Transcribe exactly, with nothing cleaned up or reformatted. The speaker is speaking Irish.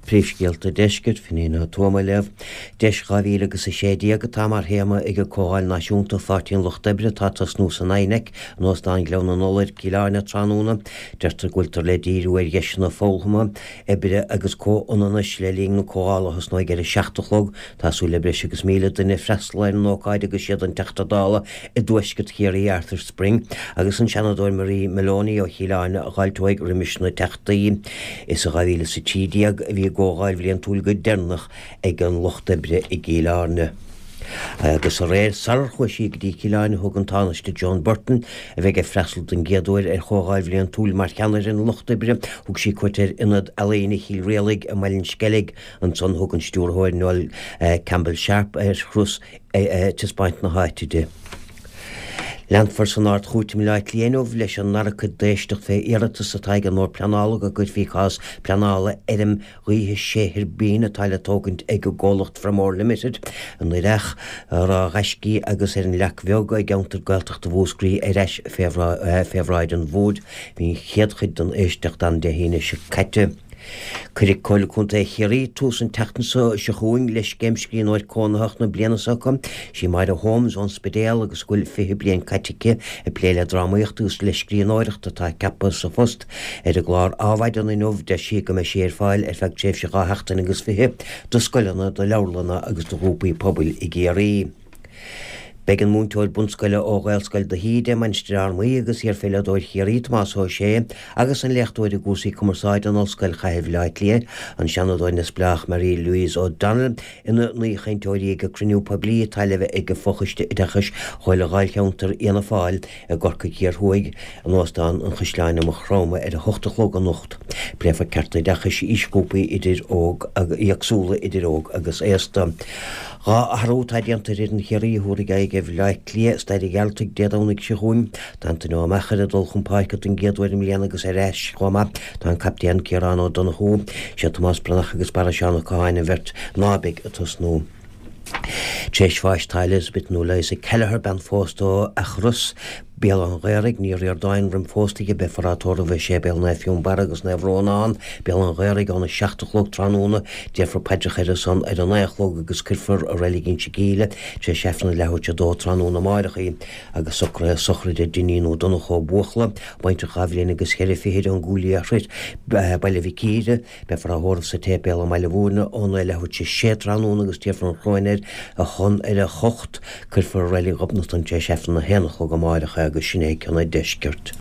Príomhscéalta Deiscirt, Finghin Ó Tuama ag léamh. Deis dhá mhíle agus a sé déag atá mar théama ag an Comhdháil Náisiúnta Pháirtí an Lucht Oibre atá ag tosnú san INEC in Óstán Ghleann na Iolair, Cill Airne tráthnóna. Deirtear go bhfuiltear le díriú ar dheiseanna foghlama, oibre agus comhionannais le linn na comhdhála a thosnóidh ar a seacht a chlog. Tá súil le breis agus míle duine freastal ar an ócáid agus siad an Teachta Dála i dTuaisceart Chiarraí Arthur Spring agus an Seanadóir Marie Moloney ó Chill Airne a fháilteoidh roimis na teachtaí. Is i dhá mhíle is a trí déag a bhí an gcomhdháil bhliantúil go deireanach ag an Lucht Oibre i gCill Airne. Agus aréir sarar chuaigh sí go dtí Cill Airne thug an Tánaiste Joan Burton, a bheidh ag freastal den gcéad uair ar chomhdháil bhliantúil mar cheannaire an Lucht Oibre, thug sí cuairt ar Ionad Ealaíne Chill Rialaig i mBaile an Sceilg. Ansan thug an stiúrthóir Noel Campbell Sharp ar thuras taispeáint na háite di. Leanfar san Ard-Chúirt i mBaile Átha Cliath inniu leis an ndara cuid d'éisteacht fé iarratas atá ag an mBord Pleanála go gcuirfí cás pleanála fheirm ghaoithe sé thuirbín atá le tógaint ag an gcomhlacht Fermor Limited i nDoire Each, Ráth Ghaiscí agus ar an Leac Bheag i gceantar Gaeltachta Mhúscraí ar ais fé bhráid an bhoird. Bhí an chéad chuid den éisteacht ann Dé hAoine seo caite. Cuirfidh Comhairle Contae Chiarraí tús an tseachtain seo chugainn le Scéim Scríbhneoir Cónaitheach na bliana s'acu. Sí Máire Holmes ón Spidéal agus go bhfuil fiche bliain caite aici ag plé le drámaíocht agus le scríbhneoireacht atá ceaptha sa phost. Ar an gclár Adhmhaidin inniu deir sí go mbeidh sí ar fáil ar feadh tréimhse dhá sheachtain agus fiche do scoileanna, do leabharlanna agus do ghrúpaí pobail i gCiarraí. Beidh an múinteoir bunscoile ó Ghaelscoil de hÍde, Mainistir Fhear Maí agus iarpheileadóir Chiarraí, Tomás Ó Sé, agus an léachtóir i gcúrsaí cumarsáide in Ollscoil Chathair Bhaile Átha Cliath, an Seanadóir neamhspleách Marie Louise O'Donnell, ina n-aoichainteoirí ag an cruinniú poiblí atá le bheith ag Fochoiste Oideachais Chomhairle Dháilcheantar Fhianna Fáil i gCorcaigh Thiar Thuaidh in Óstán an Chaisleáin i Maigh Chromtha ar a hocht a chlog anocht. Pléifear cearta oideachais aoisghrúpaí idir óg éagsúla idir óg agus aosta. Dhá athrú atá déanta ar fhoireann Chiarraí a thabharfaidh aghaidh ar Bhaile Átha Cliath i Staid an Ghearaltaigh Dé Domhnaigh seo chugainn. Tá Antaine Ó Meachair ag dul chun páirce don gcéad uair i mbliana agus ar ais chomh maith tá an captaen Ciarán Ó Donnchú, sé Tomás Breathnach agus Barra Seán Ó Catháin an bheirt ná beidh ag tosnú. Tar éis bháis tá Elizabeth nó Liza Kelleher, bean phósta ó Eachros, Béal an Ghaorthaidh, Ní Ríordáin roim phósta di, beifear á tórramh i Séipéal Naomh Fionnbarra agus Naomh Rónán, Béal an Ghaorthaidh, óna seacht a chlog tráthnóna. Déarfar paidreacha ar a son ar a naoi a chlog agus cuirfear i Reilig Inse Gíle tar éis Aifreann a leathuair tar éis a dó tráthnóna amárach í agus socruithe sochraide Dinín Ó Donnchú Ó Buachalla, baintreach dhá bhliain agus cheithre fichid ón gCúil Liathroid, Baile Mhic Íre. Beifear á thórramh sa tséipéal i mBaile Mhúirne óna leathuair tar éis a sé tráthnóna agus tabharfar an chróin air a chon ar a hocht. Cuirfear i Reilig Ghobnatan tar éis Aifreann a haon a chlog amárach é agus sin é ceann an deiscirt.